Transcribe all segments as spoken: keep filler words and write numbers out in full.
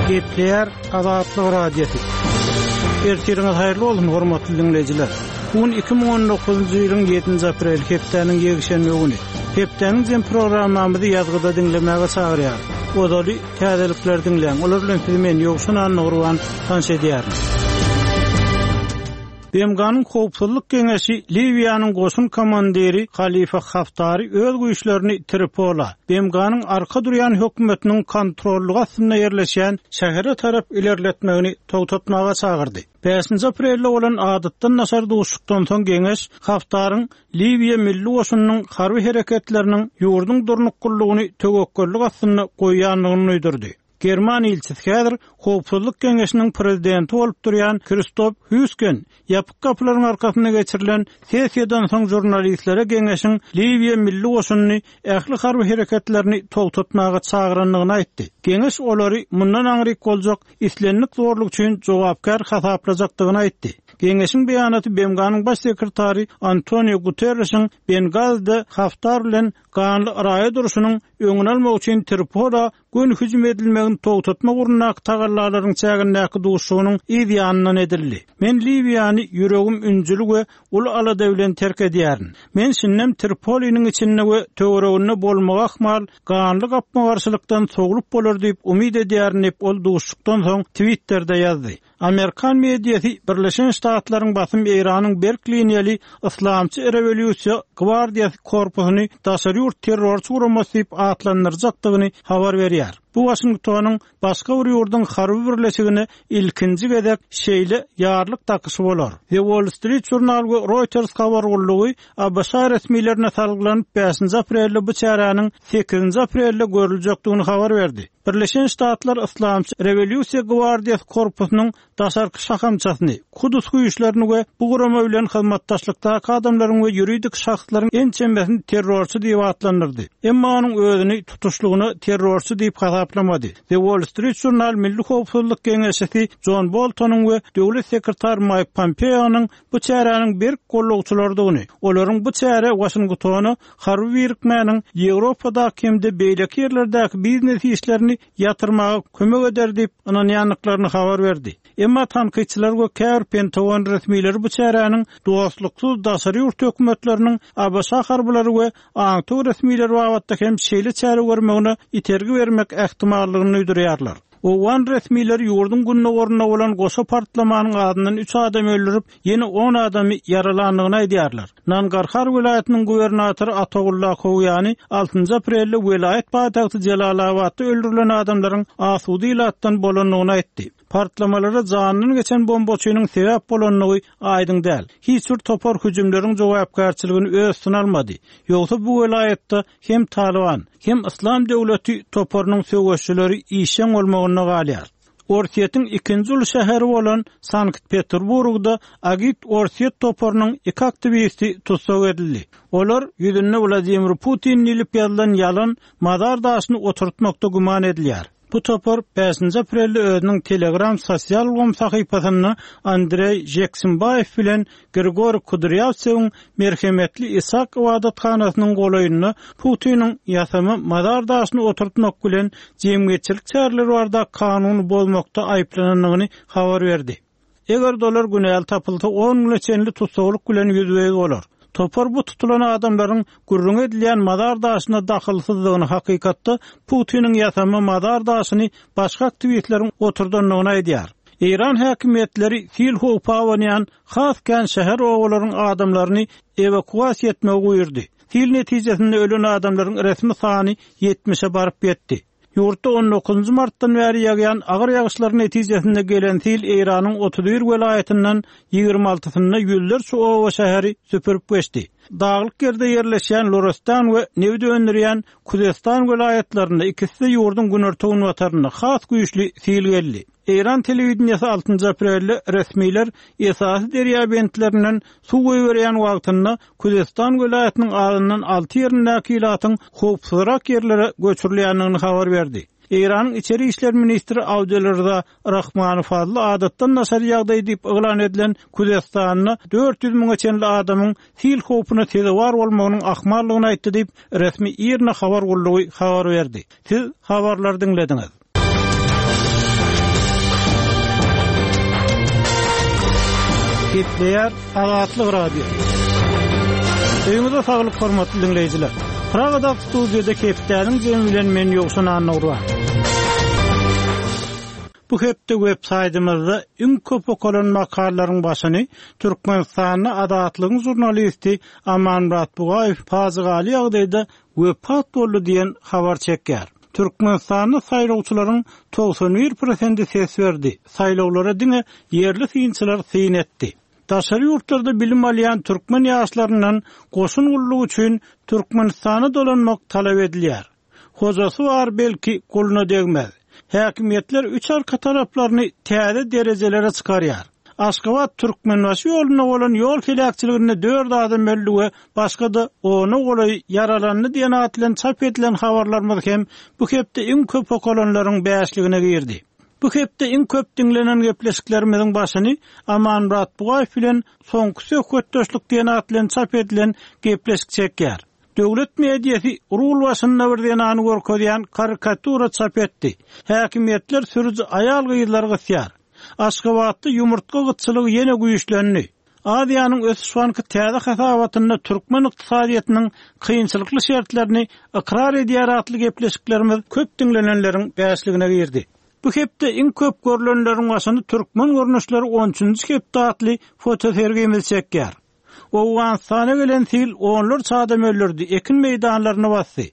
Gepleýär Azatlyk Radiosy. Ertiriňiz haýyrly bolsun, hormatly diňleýjiler. Bu gün iki müň on dokuzynjy ýylyň ýedinji aprel hepdäniň ýekşenbe güni. Hepdäniň jem programmamyzy ýazgyda diňlemäge çagyrýar. Ozaly täzelikler diňläň. Olar bilen sizi men Ýowşan Annagurban tanyş edýärin. B M G-nyň Howpsuzlyk Geňeşi Liwiýanyň goşun komandiri Halifa Haftary öz güýçlerini Tripola, B M G-nyň arka durýan hökümetiniň kontrollygy astynda ýerleşen şähere tarap ilerletmegini togtatmaga çagyrdy. Bäşinji aprelde bolan adatdan daşary duşuşykdan soň geňeş Haftaryň Liwiýa milli goşunynyň harby hereketleriniň ýurduň durnuklylygyny töwekgellik astynda goýýandygyny duýdurdy. German ilçisi häzir Howpsuzlyk Geňeşiniň prezidenti bolup durýan Kristof Hüsken ýapyk gapylaryň arkasynda geçirilen sessiýadan soň žurnalistlere geňeşiň Liwiýa milli goşunyny ähli harby hereketlerini togtatmaga çagyrandygyny aýtdy. Geňeş olary mundan aňryk boljak islendik zorluk üçin jogapkär hasaplajakdygyny aýtdy. Geňeşiň beýanaty B M G-nyň baş sekretary Antonio Guterresiň Bengazide Haftar bilen ganly raýat urşunyň öňüni almak üçin Tripola gün hüjüm edilmegini togtatmak ugrundaky tagallalaryň çägindäki duşuşygynyň yz ýanyndan edildi. Men Liwiýany ýüregim ünjüli we uly alada bilen terk edýärin. Men şindem Tripoliniň içinde we töwereginde bolmagy ahmal ganly gapma-garşylykdan sowlup bolar diýip umyt edýärin diýip ol duşuşykdan soň Twitterde ýazdy. Amerikan mediasy Birleşen Ştatlaryň basym Eýranyň berk liniýaly Islamçy rewolýusiýa gwardiýasy korpusyny daşary ýurt terrorçy guramasy diýip atlandyrjakdygyny habar berýär. Bu Washingtonyň başga bir ýurduň harby birleşigine ilkinji gezek şeýle ýarlyk takyşy bolar. The Wall Street Journal we Reuters habar gullugy A B Ş resmilerine salgylanyp bäşinji aprelde bu çäräniň sekizinji aprelde görüljekdigini habar berdi. Birleşen Ştatlar Islamçy rewolýusiýa gwardiýasy korpusynyň daşarky şahamçasyny, Kudus güýçlerini we bu gurama bilen hyzmatdaşlykdaky adamlaryň we ýuridik şahslaryň ençemesini terrorçy diýip atlandyrdy. Emma onuň özüni tutuşlygyna terrorçy diýip hasaplamady. The Wall Street Journal Milli Howpsuzlyk Geňeşisi John Boltonyň we Döwlet sekretary Mike Pompeo'nyň bu çäräniň berk gollagçylarydygyny, olaryň bu çäre Washingtona harby birikmäniň Ýewropadaky hem-de beýleki ýerlerdäki biznes işlerini ýatyrmaga kömek eder diýip ynanýandyklaryny habar berdi. Emma tankytçylar we käbir Pentagon resmileri bu çäräniň dostluksyz daşary ýurt hökümetleriniň A B Ş harbylary we aňtaw resmileri babatda hem şeýle çäre görmegine itergi bermek ähtimallygyny duýdurýarlar. Owgan resmileri ýurduň gündogarynda bolan goşa partlamanyň adyndan üç adam öldürip, ýene on adamy ýaralandygyny aýdýarlar. Nangarhar welaýatynyň gubernatory Ataullah Kowýany altynjy aprelde welaýat paýtagty Jelalabatda öldürilen adamlaryň asuda ilatdan bolandygyny aýtdy. Partlamalara janyndan geçen bombaçynyň sebäp bolandygy aýdyň däl. Hiç bir topar hüjümleriň jogapkärçiligini öz üstüne almady. Ýogsa bu welaýatda hem Taliban, hem Islam döwleti toparynyň söweşçileri işjeň bolmagynda galýar. Orsýetiň ikinji uly şäheri bolan Sankt-Peterburgda Agit Orsýet toparynyň iki aktiwisti tussag edildi. Olar ýüzünde Wladimir Putin diýlip ýazylan ýalan mazar daşyny oturtmakda güman edilýär. Bu topar bäşinji aprelde özüniň Telegram sosial ulgam sahypasynda Andrey Jeksimbaýew bilen Grigoriy Kudryavtsewiň merhemetli Isak ibadathanasynyň golaýynda Putiniň ýasama mazar daşyny oturtmak bilen jemgyýetçilik çäreleri barada kanuny bozmakda aýyplanandygyny habar berdi. Eger dolar günäli tapylsa on güne çenli tussaglyk bilen ýüzbe-ýüz bolar. Topar bu tutulan adamlaryň gürrüň edilýän mazar daşyna dahylsyzlygyny hakykatda Putiniň ýasama mazar daşyny başga aktiwistleriň oturdandygyny aýdýar. Eýran häkimiýetleri sil howpa abanýan has kän şäher obalaryň adamlaryny ewakuasiýa etmegi buýurdy. Sil netijesinde ölen adamlaryň resmi sany ýetmişe baryp ýetdi. Ýurtda on dokuzynjy martdan bäri ýagýan agyr ýagyşlar netijesinde gelen sil Eýranyň otuz bir welaýatyndan ýigrimi altysynda ýüzlerçe oba şäheri süpürip geçdi. Daglyk ýerde ýerleşýän Lorestan we nebit öndürýän Kuzestan welaýatlarynda ikisi de ýurduň günorta-günbatarynda has güýçli sil geldi. Eýran telewideniýesi altynjy aprelde resmiler esasy derýa bentlerinden suw goýberýän wagtynda Kuzestan welaýatynyň azyndan alty ýerindäki ilatyň howpsuzrak ýerlere göçürilýändigini habar berdi. Eýranyň içeri işler ministri Abdülrza Rahmany Fazly adatdan daşary ýagdaý diýip yglan edilen Kuzestanda dört ýüz müňe çenli adamyň sil howpuna sezewar bolmagynyň ahmallygyny aýtdy diýip resmi IRNA habar gullugy habar berdi. Siz habarlary diňlediňiz. Gepleýär Azatlyk Radiosy. Öýüňize saglyk hormatly diňleýjiler. Pragada studiýada hepdäniň jemi bilen men Ýowşan Annagurban. Bu hepde web saýtymyzda iň köp okalan makalalaryň başyny Türkmenistanda Azatlygyň žurnalisti Amanmyrat Bugaýew pajygaly ýagdaýda wepat boldy diýen habar çekýär. Türkmenistanda saýlawçylaryň togsan bir prosenti ses berdi. Saýlawlara diňe ýerli synçylar syn etdi. Daşary ýurtlarda bilim alýan türkmen ýaşlaryndan goşun gullugy üçin Türkmenistana dolanmak talap edilýär. Hojasy bar belki guluna degmez. Häkimiýetler üç arka taraplaryny täze derejelere çykarýar. Aşgabat Türkmenbaşy ýolunda bolan ýol heläkçiliginde dört adam öldü we başga-da ona golaý ýaralandy diýen at bilen çap edilen habarlarymyz hem bu hepde iň köp okalanlaryň bäşligine girdi. Bu hepde iň köp diňlenen gepleşiklerimiziň başyny Amanmyrat Bugaýew bilen soňky söhbetdeşlik diýen at bilen çap edilen gepleşik çekýär. Döwlet mediasy rul başynda bir zenany görkezýän karikatura çap etdi. Häkimiýetler sürüji aýal gyzlary gysýar. Aşgabatda ýumurtga gytçylygy ýene güýçlendi. Aziýanyň Ösüş Banky täze hasabatynda türkmen ykdysadyýetiniň kynçylykly şertlerini ykrar edýär atly gepleşiklerimiz köp diňlenenleriň bäşligine girdi. Bu hepde iň köp görülenleriň başyny türkmen görnüşleri on üçünji hepde atly fotosergimiz çekýär. Owganystana gelen sil onlarça adam öldürdi, ekin meýdanlaryny basdy.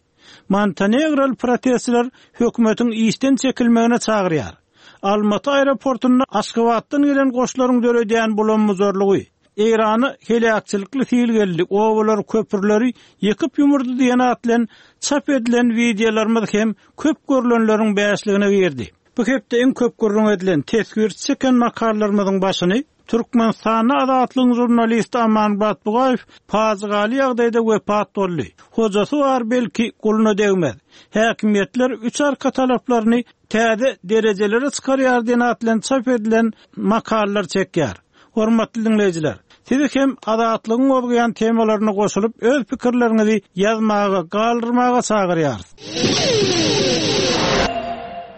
Montenegrol protestçiler hökümetiň işden çekilmegine çagyrýar. Almaty aeroportunda Aşgabatdan gelen goşlaryň döredýän bulanmuzarlygy, Eýrana heläkçilikli sil geldi, obalar köprüleri ýykyp ýumurdy diýen at bilen çap edilen wideolarymyz hem köp görülenleriň bäşligine girdi. Bu hepde iň köp gürrüň edilen teswir çeken makalalarymyzyň başyny Türkmenistanda Azatlygyň žurnalisti Amanmyrat Bugaýew pajygaly ýagdaýda wepat boldy. Hojasy bar belki guluna degmez. Häkimiýetler üç arka talaplaryny täze derejelere çykarýar diýen at bilen çap edilen makalalar çekýär. Hormatly diňleýjiler, sizi hem Azatlygyň gozgaýan temalaryna goşulyp öz pikirleriňizi ýazmaga, galdyrmaga çagyrýarys.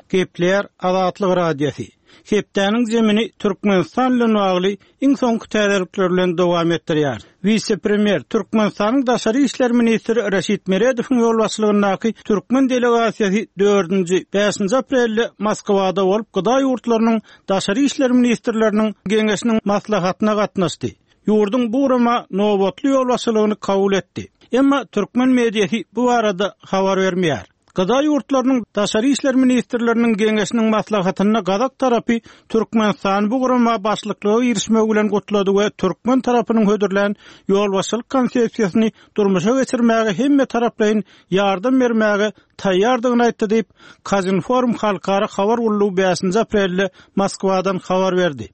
Gepleýär Azatlyk Radiosy. Hepdäniň zemini Türkmenistan bilen bagly iň soňky täzelikler bilen dowam etdirýär. Wise-premýer Türkmenistanyň Daşary işler ministri Reşit Meredowyň ýolbaşçylygyndaky türkmen delegasiýasy dördünji, bäşinji aprelde Moskwada bolup Gıda ýurtlarynyň Daşary işler ministrleriniň geňeşiniň maslahatyna gatnaşdy. Ýurduň bu gurama nobatly ýolbaşçylygyny kabul etdi. Emma türkmen mediasy bu barada habar bermeýär. Gıda ýurtlarynyň Daşary işler ministrleriniň geňeşiniň maslahatynda Gazak tarapy Türkmenistan bu gurama başlyklyga girişmegi bilen gutlady we türkmen tarapynyň hödürlän ýolbaşçylyk konsepsiýasyny durmuşa geçirmäge hemme taraplaryň ýardam bermäge taýýardygyny aýtdy diýip, Kazinform halkara habar gullugy bäşinji aprelde Moskwadan habar berdi.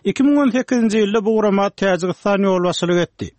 iki müň on sekizinji ýylda bu gurama Täjigistan ýolbaşçylyk etdi.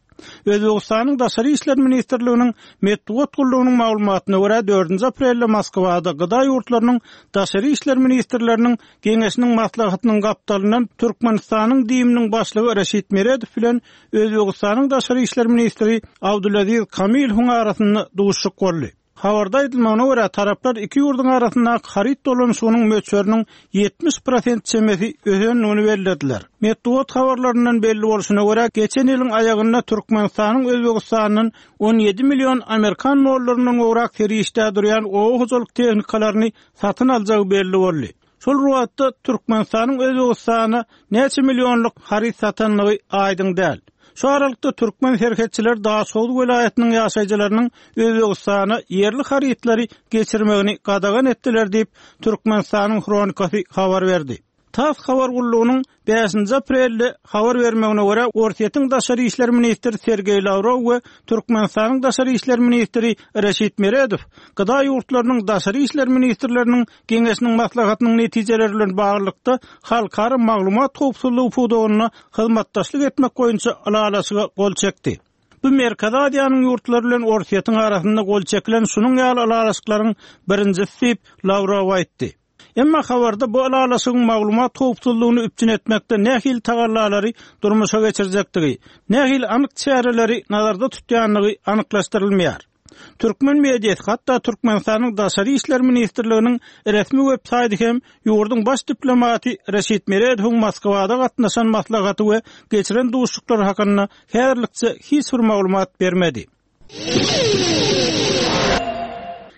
Özbekistanyň Daşary işler ministrliginiň metbugat gullugynyň maglumatyna görä dördünji aprelde Moskwada Gıda ýurtlarynyň Daşary işler ministrleriniň geňeşiniň maslahatynyň gapdalyndan Türkmenistanyň DİM-niň başlygy Reşit Meredow bilen Özbekistanyň Daşary işler ministri Abdulaziz Kamilowyň arasynda duşuşyk boldy. Habarda aýdylmagyna görä taraplar iki ýurduň arasyndaky haryt dolanyşygynyň möçberiniň ýetmiş prosent çemesi ösendigini bellediler. Metbugat habarlaryndan belli bolşuna görä geçen ýylyň aýagynda Türkmenistanyň Özbekistandan on ýedi million Amerikan dollaryndan gowrak serişde durýan oba hojalyk tehnikalaryny satyn aljagy belli boldy. Şol wagtda Türkmenistanyň Özbekistana näçe millionlyk haryt satanlygy aýdyň däl. Şu aralykda türkmen serhetçiler Daşoguz welaýatynyň ýaşaýjylarynyň Özbekistana ýerli harytlary geçirmegini gadagan etdiler diýip Türkmenistanyň Hronikasy habar berdi. TASS habar gullugynyň bäşinji aprelde habar bermegine görä Orsýetiň Daşary işler ministri Sergeý Lawrow we Türkmenistanyň Daşary işler ministri Reşit Meredow Gıda ýurtlarynyň Daşary işler ministrleriniň geňeşiniň maslahatynyň netijeleri bilen baglylykda halkara maglumat howpsuzlygy pudagynda hyzmatdaşlyk etmek boýunça ylalaşyga gol çekdi. Bu Merkezi Aziýanyň ýurtlary bilen Orsýetiň arasynda gol çekilen şunuň ýaly ylalaşyklaryň birinjisi diýip Lawrow aýtdy. Emma habarda bu ylalaşygyň maglumat howpsuzlygyny üpjün etmekde nähili tagallalary durmuşa geçirjekdigi, nähili anyk çäreleri nazarda tutýandygy anyklaşdyrylmaýar. Türkmen mediasy, hatda Türkmenistanyň Daşary işler ministrliginiň resmi web saýty hem ýurduň baş diplomaty Reşit Meredowyň Moskwada gatnaşan maslahaty we geçiren duşuşyklary hakynda häzirlikçe hiç bir maglumat bermedi.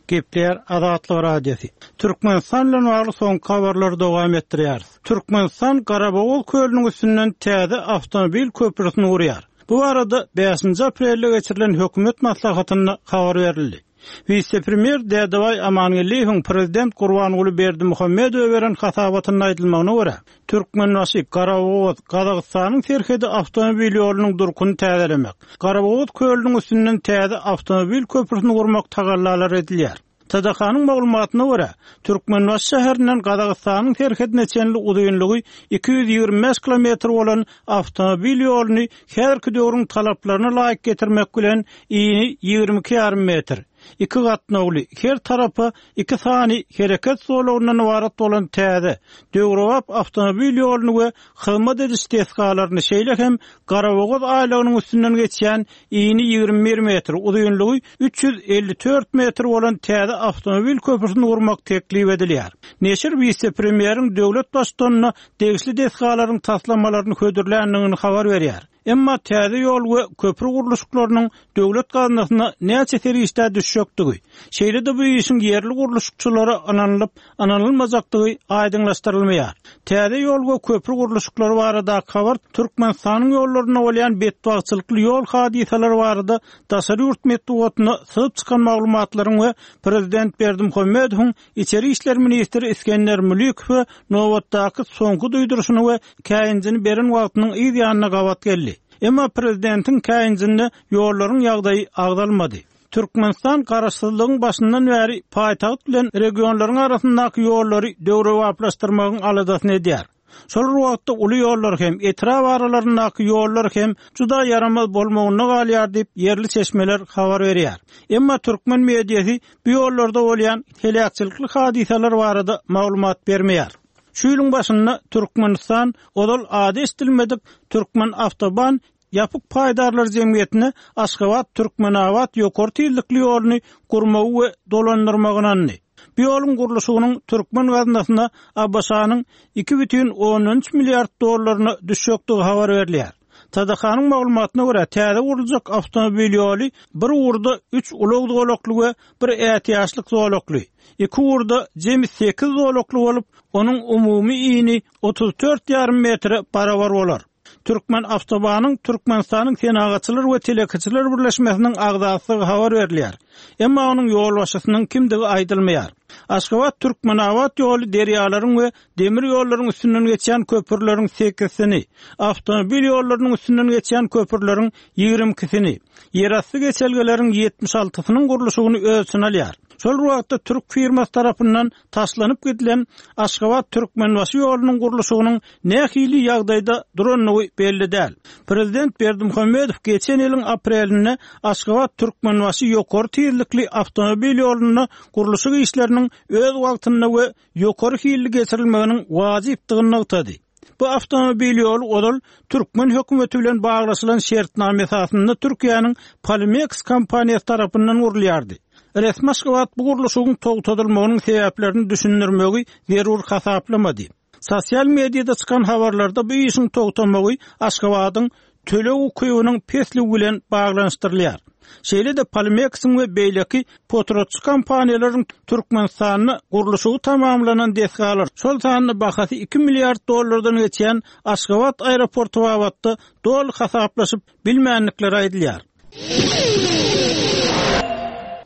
Gepler Azatlyk Radiosy. Türkmenistan bilen bagly soňky habarlary dowam etdirýäris. Türkmenistan Garabogaz kölüniň üstünden täze awtomobil köprüsini gurýar. Bu barada bäşinji aprelde geçirilen hökümet maslahatynda habar berildi. Wise-premýer Dädebaý Amangeldiýewiň prezident Gurbanguly Berdimuhamedowa beren hasabatynda aýdylmagyna görä, Türkmenbaşy, Garabogaz, Gazagystanyň serhedi awtomobil ýolunyň durkuny täzelemek, Garabogaz kölüniň üstünden täze awtomobil köprüsini gurmak tagallalary edilýär. T D K-nyň maglumatyna görä, Türkmenbaşy şäherinden Gazagystanyň serhedine çenli uzynlygy iki ýüz ýigrimi bäş kilometr bolan awtomobil ýoluny häzirki döwrüň talaplaryna laýyk getirmek bilen ini ýigrimi iki ýarym metr, iki gatnawly, her tarapa iki sany hereket zolagyndan ybarat bolan täze, döwrebap awtomobil ýoluny we hyzmat ediş desgalaryny, şeýle hem Garabogaz aýlagynyň üstünden geçýän ini ýigrimi bir metr, uzynlygy üç ýüz elli dört metr bolan täze awtomobil köprüsini gurmak teklip edilýär. Neşir wise-premýeriň döwlet baştutanyna degişli desgalaryň taslamalaryny hödürländigini habar berýär. Emma täze ýol we köprü gurluşyklarynyň döwlet gaznasyna näçe serişde düşjekdigi, şeýle-de bu işiň ýerli gurluşykçylara ynanylyp, ynanylmajakdygy aýdyňlaşdyrylmaýar. Täze ýol we köprü gurluşyklary barada habar Türkmenistanyň ýollarynda bolýan betbagtçylykly ýol hadysalary barada daşary ýurt metbugatyna syzyp çykan maglumatlaryň we Prezident Berdimuhamedowyň İçeri işler ministri Iskender Mülikow nobatdaky soňky duýduryşyny we käýinjini beren wagtynyň yz ýanyna gabat geldi. Emma prezidentiň käýinjinde ýollaryň ýagdaýy agzalmady. Türkmenistan garaşsyzlygyň başyndan bäri paýtagt bilen regionlaryň arasyndaky ýollary döwrebaplaşdyrmagyň aladasyny edýär. Şol bir wagtda uly ýollar hem etrap aralaryndaky ýollar hem juda ýaramaz bolmagyna galýar diýip ýerli çeşmeler habar berýär. Emma türkmen mediasy bu ýollarda bolýan heläkçilikli hadysalar barada maglumat bermeýär. Şu ýylyň başynda Türkmenistan ozal ady eşidilmedik Türkmen Awtoban Ýapyk paýdarlar jemgyýetine Aşgabat Türkmenabat ýokary tizlikli ýoluny gurmagy we dolandyrmagy ynandy. Bu ýoluň gurluşygynyň türkmen gaznasyna A B Ş-nyň iki bütin ondan üç milliard dollaryna düşjekdigi habar berilýär. T D K-nyň maglumatyna görä, täze guruljak awtomobil ýoly bir ugurda üç ulag zolakly we bir ätiýaçlyk zolakly, iki ugurda jemi sekiz zolakly bolup, onuň umumy ini otuz dört ýarym metre barabar bolar. Türkmen Awtobanyň Türkmenistanyň Senagatçylar we Telekeçiler Birleşmesiniň agzasydygy habar berilýär. Emma onuň ýolbaşçysynyň kimdigi aýdylmaýar. Aşgabat Türkmenabat ýoly derýalaryň we demir ýollaryň üstünden geçýän köprüleriň sekizsini, awtomobil ýollarynyň üstünden geçýän köprüleriň ýigrimi ikisini, ýerasty geçelgeleriň ýetmiş altysynyň gurluşygyny öz içine alýar. Şol wagtda türk firmasy tarapyndan taşlanyp gidilen Aşgabat Türkmenbaşy ýolunyň gurluşygynyň nähili ýagdaýda durandygy belli däl. Prezident Berdimuhamedow geçen ýylyň aprelinde Aşgabat Türkmenbaşy ýokary tizlikli awtomobil ýolunda gurluşyk işleriniň öz wagtynda we ýokary hilli geçirilmeginiň wajypdygyny nygtady. Bu awtomobil ýoly ozal türkmen hökümeti bilen baglaşylan şertnama esasynda Türkiýäniň Polimex kompaniýasy tarapyndan gurulýardy. Resmi Aşgabat bu gurluşygyň togtadylmagynyň sebäplerini düşündirmegi zerur hasaplamady. Sosial mediada çykan habarlarda bu işiň togtamagy Aşgabadyň töleg ukybynyň pesligi bilen baglanyşdyrylýar. Şeýle-de Polimexiň we beýleki potratçy kompaniýalaryň Türkmenistanda gurluşygy tamamlanan desgalar, şol sanda bahasy iki milliard dollardan geçýän Aşgabat aeroporty babatda doly hasaplaşyp bilmänlikleri aýdylýar.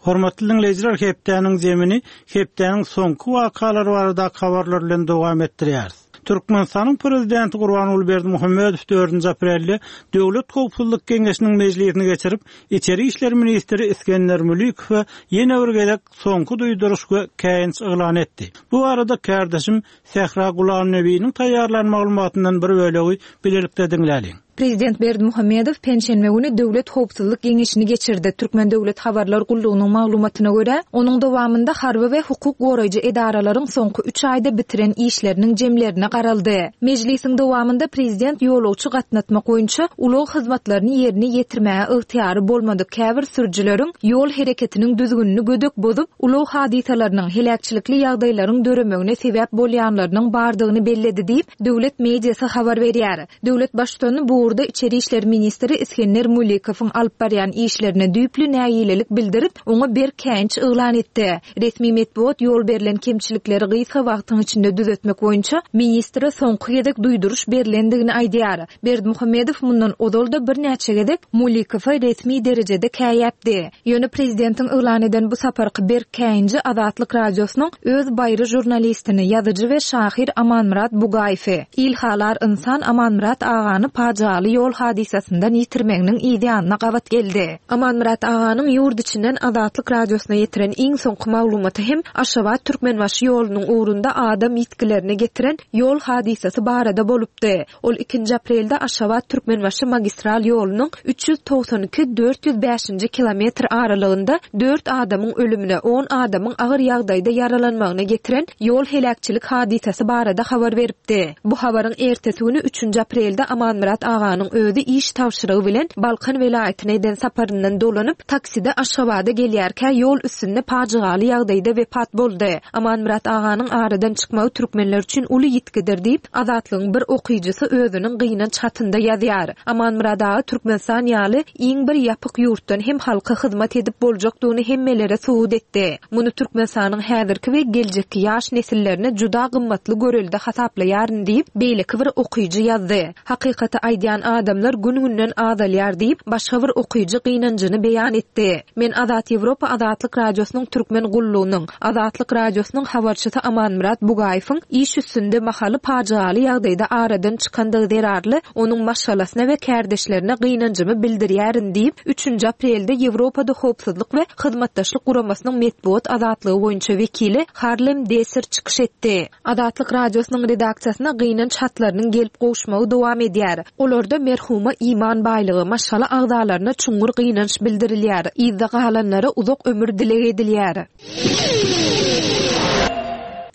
Hormatly dinleýjiler, hepdäniň zemini hepdäniň soňky wakalary barada habarlar bilen dowam etdirýäris. Türkmenistanyň prezidenti Gurbanguly Berdimuhamedow dördünji aprelde Döwlet Howpsuzlyk Geňeşiniň mejlisini geçirip, İçeri İşler ministri Iskender Mülikow ýene bir gezek soňky duýduryş we käýinç yglan etdi. Bu arada kardeşim Sähra Gulamnebiniň taýýarlan maglumatyndan bir bölegi bilelikde diňläliň. Prezident Berdimuhamedow penşenbe güni Döwlet howpsuzlyk geňeşini geçirdi. Türkmen döwlet habarlar gullugynyň maglumatyna görä, onuň dowamynda harby we hukuk goraýjy edaralaryň soňky üç aýda bitiren işleriniň jemlerine garaldy. Mejlisiň dowamynda prezident ýolagçy gatnatmak boýunça ulag hyzmatlaryny ýerine ýetirmäge ygtyýary bolmadyk käbir sürüjileriň ýol hereketiniň düzgünini gödek bozup, ulag hadysalarynyň, heläkçilikli ýagdaýlaryň döremegine sebäp bolýanlarynyň bardygyny belledi diýip, döwlet mediasy habar berýär. Döwlet baştutany bu ugurda içeri işler ministri Isgender Mulikowyň alyp barýan işlerine düýpli nägilelik bildirip, oňa berk käýinç yglan etdi. Resmi metbugat ýol berlen kemçilikleri gysga wagtyň içinde düzetmek boýunça ministre soňky gezek duýduryş berlendigini aýdýar. Berdimuhamedow mundan ozal-da birnäçe gezek Mulikowa resmi derejede käýäpdi. Ýöne prezidentiň yglan eden bu saparky berk käýinji Azatlyk Radiosynyň öz baýry žurnalistini, ýazyjy we şahyr Amanmyrat Bugaýewi, ilhalar ynsan Amanmyrat agany pajygaly ýol hadysasyndan ýitirmeginiň yz ýanyna gabat geldi. Amanmyrat aganyň ýurt içinden Azatlyk Radiosyna ýetiren iň soňky maglumaty hem Aşgabat Türkmenbaşy ýolunyň ugrunda adam ýitgilerine getiren ýol hadysasy barada bolupdy. Ol ikinji aprelde Aşgabat Türkmenbaşy magistral ýolunyň üç ýüz togsan iki dört ýüz bäşinji kilometr aralygynda dört adamyň ölümine, on adamyň agyr ýagdaýda ýaralanmagyna getiren ýol heläkçilik hadysasy barada habar beripdi. Bu habaryň ertesi güni üçünji aprelde Amanmyrat aganyň özi iş tabşyrygy bilen Balkan welaýatyna eden saparyndan dolanyp, takside Aşgabada gelýärkä ýol üstünde pajygaly ýagdaýda wepat boldy. Amanmyrat aganyň aradan çykmagy türkmenler üçin uly ýitgidir diýip, Azatlygyň bir okyjysy özüniň gynanç hatynda ýazýar. Amanmyrat aga Türkmenistan ýaly iň bir ýapyk ýurtdan hem halka hyzmat edip boljakdygyny hemmelere subut etdi. Muny Türkmenistanyň häzirki we geljekki ýaş nesillerine juda gymmatly görelde hasaplaýaryn diýip, beýleki bir okyjy ýazdy. Hakykaty aýdýan adamlar gün-günden azalýar diýip, başga bir okyjy gynanjyny beýan etdi. Men Azat Ýewropa Azatlyk Radiosynyň türkmen gullugynyň, Azatlyk Radiosynyň habarçysy Amanmyrat Bugaýewiň iş üstünde mahaly pajygaly ýagdaýda aradan çykandygy zerarly onuň maşgalasyna we kärdeşlerine gynanjymy bildirýärin diýip, üçünji aprelde Ýewropada howpsuzlyk we hyzmatdaşlyk guramasynyň metbugat azatlygy boýunça wekili Harlem Deser çykyş etdi. Azatlyk Radiosynyň redaksiýasyna gynanç hatlarynyň gelip gowuşmagy dowam edýär. Olarda merhuma iman baýlygy, maşgala agzalaryna çuňňur gynanç bildirilýär. Yzda galanlara uzak ömür dileg edilýär.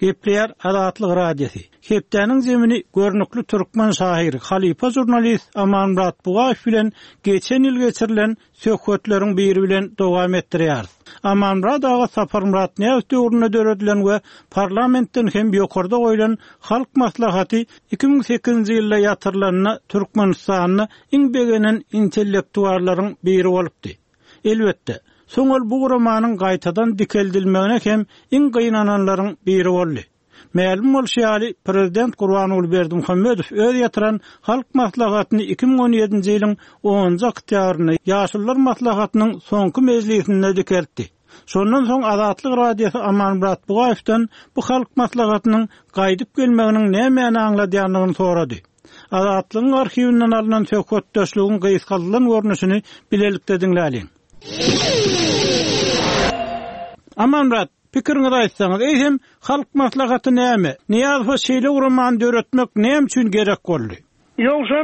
Gepleýär Azatlyk Radiosy. Hepdäniň zemini görnükli türkmen şahyry, halypa žurnalist Amanmyrat Bugaýew bilen geçen ýyl geçirilen söhbetleriň biri bilen dowam etdirýär. Amanmyrat aga Saparmyrat Nyýazow döwründe döredilen we parlamentden hem ýokarda goýlan Halk Maslahaty iki müň sekizinji ýylda ýatyrylanda Türkmenistanda iň begenen intellektuallaryň biri bolupdy. Elbetde, soň ol bu guramanyň gaýtadan dikeldilmegine hem iň gynananlaryň biri boldy. Mälim bolşy ýaly, Prezident Gurbanguly Berdimuhamedow öz ýatyran Halk Maslahatyny iki müň on ýedinji ýylyň onunjy oktýabrynda Ýaşulular Maslahatynyň soňky mejlisinde dikeltdi. Şondan soň Azatlyk Radiosy Amanmyrat Bugaýewden bu Halk Maslahatynyň gaýdyp gelmeginiň nämäni aňladýandygyny sorady. Azatlygyň arhiwinden alnan söhbetdeşligiň gysgaldylan görnüşini bilelikde diňläliň. Amanmyrat, pikiriňizi aýtsaňyz, eýsem Halk Maslahaty näme? Nyýazowa şeýle guramany döretmek näme üçin gerek boldy? Ýogsa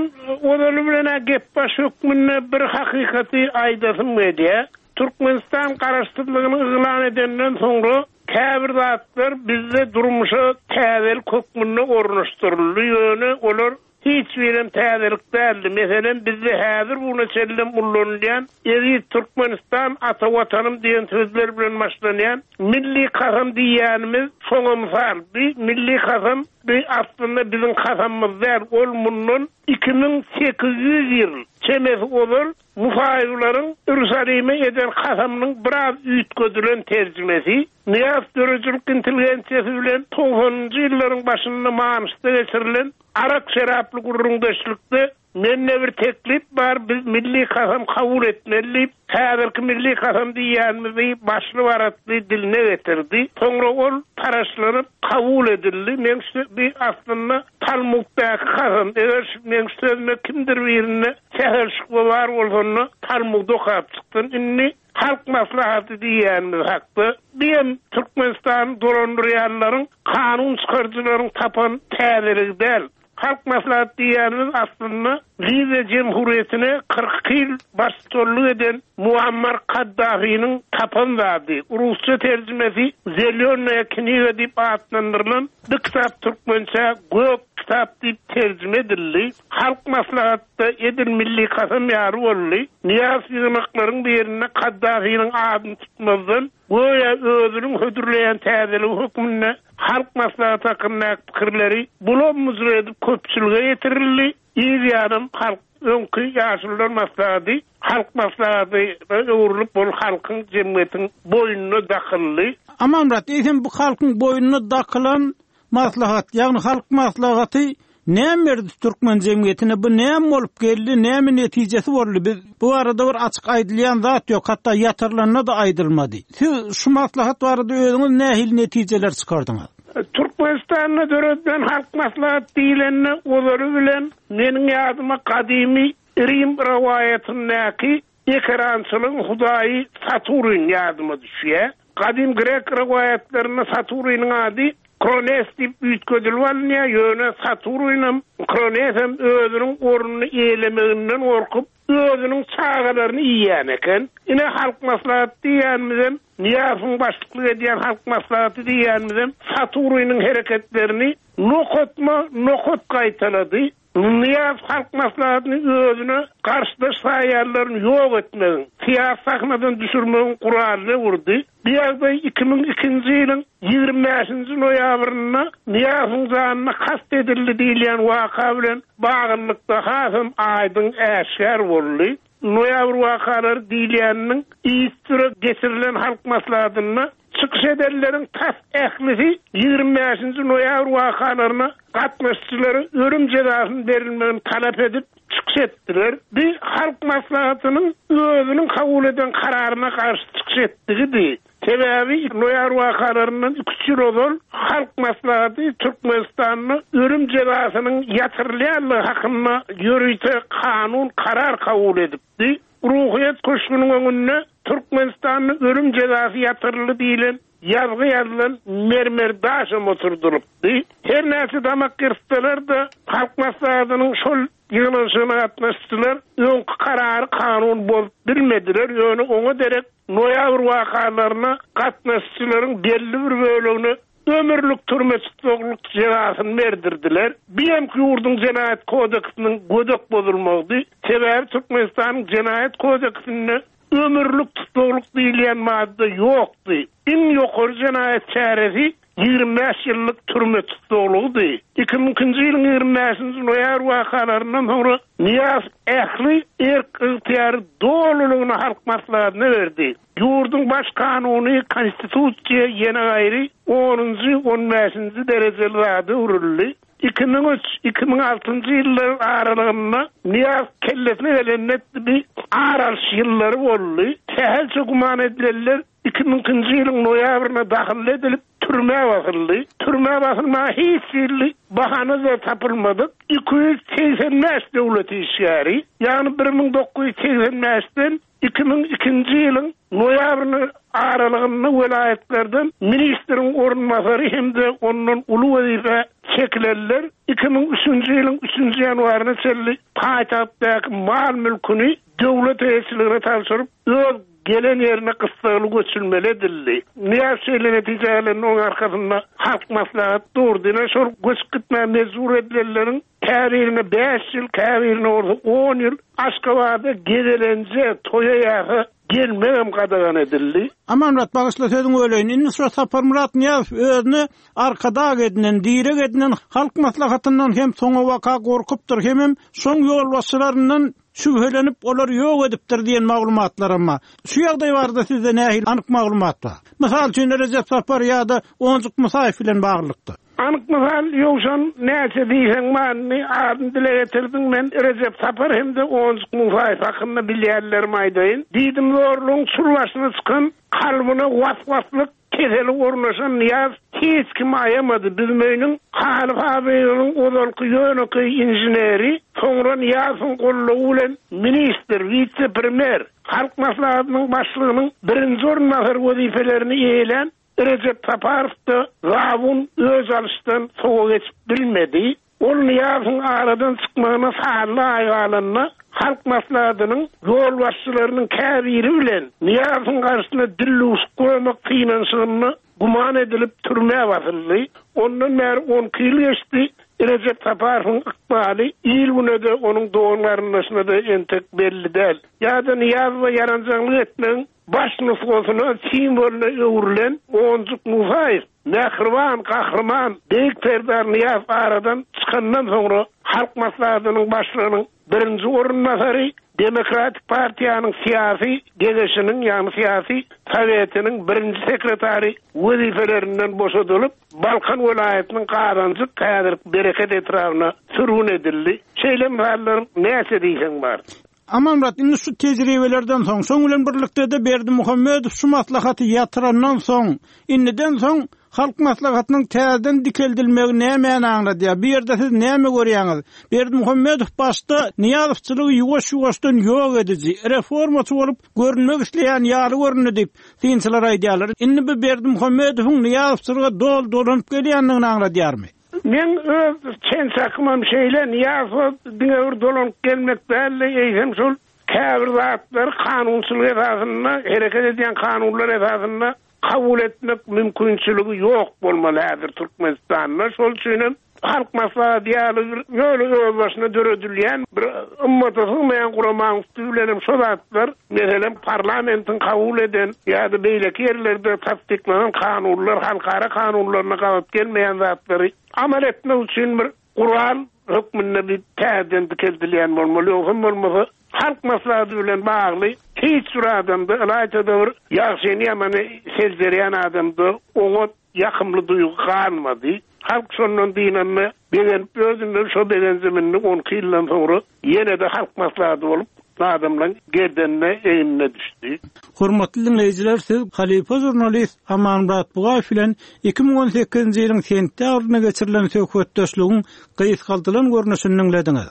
ozaly bilen gep baş hökmünde bir hakykaty aýdasym gelýär. Türkmenistan garaşsyzlygyny yglan edenden soňra käbir zatlar bizde durmuşa täzelik hökmünde ornaşdyryldy. Ýöne olar hiç birem täzelik däldi. Meselem, bizde häzir buna çenlem ullanylýan Eziz Türkmenistan ata watanym diýen sözler bilen başlanýan milli kasam diýýänimiz şoňa mysal. Bir milli kasam bir aslynda biziň kasamymyz däl. Ol mundan iki müň sekiz ýüz ýyl çemesi ozal Musaýylaryň Ýerusalime eden kasamynyň biraz üýtgedilen terjimesi. Nyýazow döredijilik intelligensiýasy bilen togsanynjy ýyllaryň başynda Manyşda geçirilen arak şeraply gurrundeşlikde mende bir teklip bar, biz milli kasam kabul etmeli diýip, häzirki milli kasam diýýänimizi başly baratly diline getirdi. Soňra ol taraşlanyp kabul edildi. Men şu bir aslynda Talmuddaky kasam, eger men şu sözüme kimdir birine sähel şübhe bar bolsa, Talmud okap çykdym. Indi Halk Maslahaty diýýänimiz hakda diýen Türkmenistan dolandyrýanlaryň kanun çykaryjylaryň tapan täzeligi däl. Halk maslahat diýenimiz aslynda Liwiýa Jemhuriýetine kyrk iki ýyl baştutanlyk eden Muammar Kaddafiniň tapan zady. Rusça terjimesi Zelýonnaýa kniga diýip atlandyrylan bu kitap türkmençe Gök kitap diýip terjime edildi. Halk maslahatda edil milli kasam ýaly boldy. Nyýazow ýygnaklaryň birinde Kaddafiniň adyny tutmazdan göýä özüniň hödürleýän täzeligi hökmünde Halk maslahaty hakyndaky pikirleri bulam-bujur edip köpçülige ýetirildi. Yz ýanam halk öňki ýaşulular maslahaty halk maslahatyna öwrülip, ol halkyň jemgyýetiň boýnuna dakyldy. Amanmyrat, eýsem bu halkyň boýnuna dakylan maslahat, ýagny halk maslahaty näme berdi türkmen jemgyýetine? Bu näme bolup geldi, näme netijesi boldy? Biz bu barada bir açyk aýdylýan zat ýok, hatda ýatyrylanda-da aýdylmady. Siz şu maslahat barada özüňiz nähili netijeler çykardyňyz? Türkmenistanda döredilen halk maslahat diýlende ozaly bilen meniň ýadyma gadymy Rim rowaýatyndaky ekerançylygyň hudaýy Saturn ýadyma düşýär. Gadym grek rowaýatlarynda Saturnyň ady Krones diýip üýtgedilip alynýar, ýöne Saturnam, Kronesem özüniň ornuny eýlemeginden gorkup, özüniň çagalaryny iýýän eken. Ine halk maslahaty diýýänimizem, Nyýazowyň başlyklyk edýän halk maslahaty diýýänimizem Saturnyň hereketlerini nokatma nokat gaýtalady. Nyýazow halk maslahatyny özüne garşydaş saýýanlaryny ýok etmegiň, syýasy sahnadan düşürmegiň guralyna öwürdi. Bu ýagdaý iki müň ikinji ýylyň ýigrimi bäşinji noýabrynda Nyýazowyň janyna kast edildi diýilýän waka bilen baglylykda hasam aýdyň äşgär boldy. Noýabr wakalary diýilýäniniň yzysüre geçirilen halk maslahatynda çykyş edenleriň tas ählisi ýigrimi bäşinji noýabr wakalaryna gatnaşyjylara ölüm jezasyny berilmegini talap edip çykyş etdiler. Bu halk maslahatynyň özüniň kabul eden kararyna garşy çykyş etdigidi. Sebäbi noýabr wakalaryndan iki üç ýyl ozal halk maslahaty Türkmenistanda ölüm jezasynyň ýatyrylýanlygy hakynda ýörite kanun karar kabul edipdi. Ruhyýet köşgüniň öňünde Türkmenistanda ölüm jezasy ýatyryldy diýlen ýazgy ýazylan mermer daşam oturdylypdy. Her näçe damak gyrtsalar da halk maslahatynyň şol ýygnanyşygyna gatnaşdylar, öňki karary kanun bozup bilmediler, ýöne oňa derek noýabr wakalaryna gatnaşyjylaryň belli bir bölegine ömürlik türme tutsaglyk jezasyny berdirdiler. Bir hem ýurduň jenaýat kodeksiniň gödek bozulmagydy. Sebäbi Türkmenistanyň jenaýat kodeksinde ömürlik tutsaglyk diýilýän madda ýokdy. Iň ýokary jenaýat çäresi ýigrimi bäş ýyllyk türme tutsaglygydy. Iki müň ikinji ýylyň ýigrimi bäşinji noýabr wakalaryndan soňra Nyýazow ähli erk ygtyýary dolulygyna halk maslahatyna berdi. Ýurduň baş kanuny konstitusiýa ýene gaýry onunjy, on bäşinji derejeli zady öwrüldi. Iki müň üç, iki müň altynjy ýyllar aralygynda Nyýazow kellesine gelende bir ar alyş ýyllary boldy. Sähelçe güman edilenler iki müň ikinji ýylyň noýabryna dahyl edilip türmä basyldy. Türmä basylmaga hiç hili bahana da tapylmadyk. Iki ýüz segsen bäş döwlet işgäri, ýagny bir müň dokuz ýüz segsen bäşden iki müň ikinji ýylyň noýabryna aralygynda welaýatlardan ministriň orunbasary hem-de ondan uly wezipe çekilenler iki müň üçünji ýylyň üçünji ýanwaryna çenli paýtagtdaky mal mülküni döwlet eýeçiligine tabşyryp, öz gelen ýerine gyssagly göçülmeli edildi. Nyýazow şeýle netije gelende onuň arkasynda halk maslahat durdy. Ine şol göçüp gitmäge mejbur edilenleriň käbirine bäş ýyl, käbirine bolsa on ýyl Aşgabada gezelenje, toýa ýa-ha gelmegem gadagan edildi. Amanmyrat, bagyşla sözüňi böleýin. Indi şu Saparmyrat Nyýazow özüne arkadag edinen, direk edinen halk maslahatyndan hem soňa waka gorkupdyr, hemem şoň ýolbaşçylaryndan şübhelenip olar ýok edipdir diýen maglumatlar amma. Şu ýagdaý barada sizde nähili anyk maglumat bar? Mysal üçin Rejep Sapar ýa-da Onjuk Musaýew bilen baglylykda. Anyk mysal ýowşan näçe diýseň manyny adyny dile getirdiň, men Rejep Sapar hem-de Onjuk Musaýew hakynda bilýänlerimi aýdaýyn. Diýdim zorlugyň çul başyna çykan kalbyna was-waslyk keseli ornaşan Nyýaz hiç kim aýamady. Büzmeýiniň Haly fabriginiň ozalky ýönekeý inženeri, soňra Nyýazowyň gollugy bilen ministr, wise-premýer, halk maslahatynyň başlygynyň birinji orunbasary wezipelerini eýelän Rejep Saparow da zabun öz alyşdan sowa geçip bilmedi. Ol Nyýazowyň aradan çykmagyna sanly aý galanda Halk Maslahatynyň ýolbaşçylarynyň käbiri bilen Nyýazowyň garşysyna dildüwşük guramak synanyşygynda güman edilip türmä basyldy. Ondan bäri on iki ýyl geçdi. Rejep Saparowyň ykbaly il-güne-de, onuň dogan-garyndaşyna-da entek belli däl. Ýa-da Nyýazowa ýaranjaňlyk etmegiň baş nusgasyna, simwolyna öwrülen Onjuk Musaýew, mähriban gahryman Beýik Serdar Nyýazow aradan çykandan soňra Halk Maslahatynyň başlygynyň birinji orunbasary, Demokratik partiýanyň syýasy geňeşiniň, ýagny syýasy sowetiniň birinji sekretary wezipelerinden boşadylyp, Balkan welaýatynyň Gazanjyk, häzirki Bereket etrabyna sürgün edildi. Şeýle mysallar näçe diýseň bar. Amanmyrat, indi şu tejribelerden soň, şoň bilen birlikde-de Berdimuhamedow şu maslahaty ýatyrandan soň, indiden soň Halk Maslahatynyň täzeden dikeldilmegi nämäni aňladýar? Bu ýerde siz näme görýäňiz? Berdimuhamedow başda Nyýazowçylygy ýuwaş-ýuwaşdan ýok ediji, reformaçy bolup görünmek isleýän ýaly göründi diýip, synçylar aýdýarlar. Indi bu Berdimuhamedowyň Nyýazowçylyga doly dolanyp gelýändigini aňladýarmy? Meň öz çen-çakymam şeýle, Nyýazowa diňe bir dolanyp gelmek däl-de, eýsem şol käbir zatlary kanunçylyk esasynda, hereket edýän kanunlar esasynda kabul etmek mümkinçiligi ýok bolmaly häzir Türkmenistanda. Şol üçin hem Halk Maslahaty ýaly bir ýöne özbaşyna döredilýän bir ymmata sygmaýan guramaň üsti bilen hem şo zatlar, meselem, parlamentiň kabul eden ýa-da beýleki ýerlerde tassyklanan kanunlar, halkara kanunlaryna gabat gelmeýän zatlary amal etmek üçin bir gural hökmünde bir täzeden dikeldilýän bolmaly. Ýogsam bolmasa Halk Maslahaty bilen bagly hiç bir adamda, ylaýta-da bir ýagşyny ýamany seljerýän adamda oňat ýakymly duýgy galmady. Halk şondan dynanda begenip özünden şo begenjim indi on iki ýyldan soňra ýene-de Halk Maslahaty bolup adamlaryň gerdenine, egnine düşdi. Hormatly diňleýjiler, siz halypa žurnalist Amanmyrat Bugaýew bilen iki müň on sekizinji ýylyň sentýabrynda geçirilen söhbetdeşligiň gysgaldylan görnüşini diňlediňiz.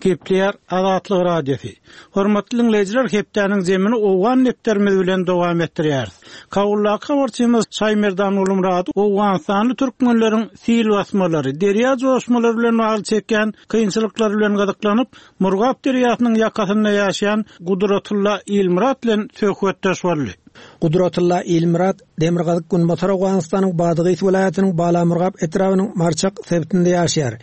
Gepleýär Azatlyk Radiosy. Hormatly diňleýjiler, hepdäniň zemini Owgan depderimiz bilen dowam etdirýäris. Kabuldaky habarçymyz Şaýmerdan Gulumurady Owganystanly türkmenleriň sil basmalary, derýa joşmalary bilen bagly çekýän kynçylyklary bilen gyzyklanyp, Murgap derýasynyň ýakasynda ýaşaýan Gudratulla Ilmyrat bilen söhbetdeş boldy. Gudratulla Ilmyrat Demirgazyk Günbatar Owganystanyň Badygys welaýatynyň Balamurgap etrabynyň Marçak sebitinde ýaşaýar.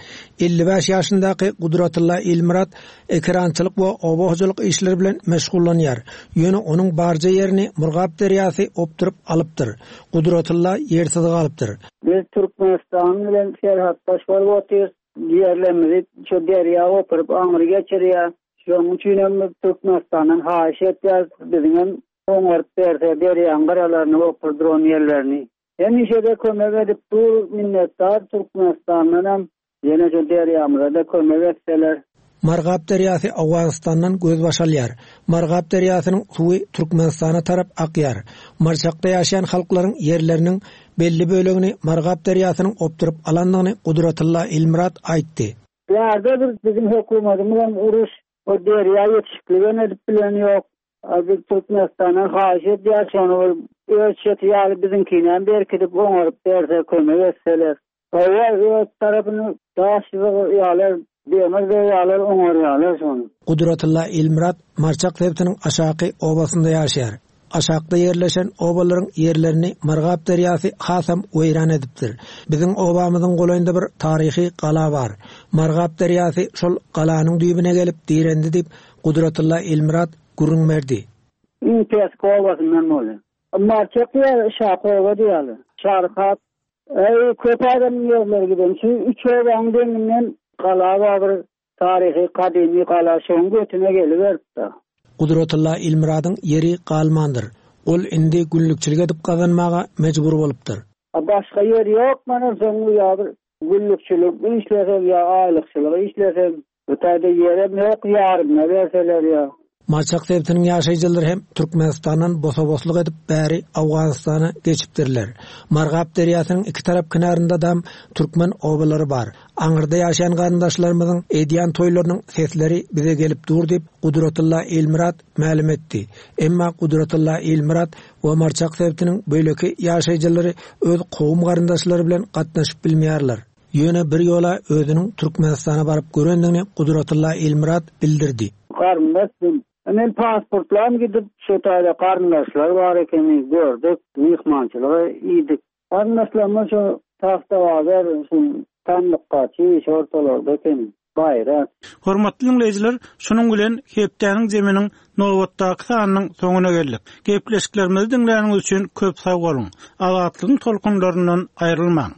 Elli bäş ýaşyndaky Gudratulla Ilmyrat ekerançylyk we oba hojalyk işleri bilen meşgullanýar. Ýöne onuň barja ýerini Murgap derýasy opduryp alypdyr. Gudratulla ýersiz galypdyr. Biz Türkmenistan bilen serhatdaş bolup otyrys. Ýerlerimizi şu derýa opuryp aňry geçirýär. Şonuň üçin hem biz Türkmenistandan haýyş etýäris. Biziň hem oňaryp berse derýaň gyralaryny opurdyran ýerlerini. Hemişe-de kömek edip dur minnetdar Türkmenistandan hem ýene şu derýamyza da kömek etseler. Margap derýasy Owganystandan gözbaş alýar. Margap derýasynyň suwy Türkmenistana tarap akýar. Marçakda ýaşaýan halklaryň ýerleriniň belli bölegini Margap derýasynyň opduryp alandygyny Gudratulla Ilmyrat aýtdy. Bärde bir bizim hökümetimiz hem uruş, o derýa ýetişikligem edip bilen ýok. Biz Türkmenistandan haýyş edýär, şony bir öz çeti ýaly biziňkini hem berkidip oňaryp berse, kömek etseler. Hawa, öz tarapyny daş ýalar, demir ýalar, oňarýarlar şony. Gudratulla Ilmyrat Marçak sebitiniň aşaky obasynda ýaşaýar. Aşakda ýerleşen obalaryň ýerlerini Margap derýasy hasam weýran edipdir. Biziň obamyzyň golaýynda bir taryhy gala bar. Margap derýasy şol galanyň düýbüne gelip direndi diýip Gudratulla Ilmyrat gürrüň berdi. Iň pes obasyndan boldy. Marçak diýýär, Şak oba diýýärler. Şarkat, ey, köp adamyň ýerleri giden. Şu üç obaň deňinden gala bar, bir taryhy gadymy gala şoň götüne geliberipdi. Gudratulla Ilmyradyň ýeri galmandyr. Ol indi günlükçilik edip gazanmaga mejbur bolupdyr. A başga ýer ýok, mana soň ýa bir günlükçilik işlesem ýa aýlykçylyk işlesem, bu taýda ýerem ýok, ýarymyna berseler ýa. Marçak sebitiniň ýaşaýjylary hem Türkmenistandan bosa-boslyk edip bäri Owganystana geçipdirler. Margap derýasynyň iki tarap kenarynda dam türkmen obalary bar. Aňyrda ýaşaýan garyndaşlarymyzyň edýän toýlarynyň sesleri bize gelip dur diýip Gudratulla Ilmyrat mälim etdi. Emma Gudratulla Ilmyrat we Marçak sebitiniň beýleki ýaşaýjylary öz kowum garyndaşlary bilen gatnaşyp bilmeýärler. Ýöne bir ýola özüniň Türkmenistana baryp görendigini Gudratulla Ilmyrat bildirdi. Garyndaş Men pasportlam gidip şu taýda garyndaşlar bar ekeni gördük, myhmançylyga iýdik. Garyndaşlarymyz şu Tagtabazar, şu Tamlykgaçy, şu ortalarda eken. Baýrak. Hormatly diňleýjiler, şunuň bilen hepdäniň zeminiň nobatdaky sanynyň soňuna geldik. Gepleşiklerimizi diňläniňiz üçin köp sag boluň. Azatlygyň tolkunlaryndan aýrylmaň.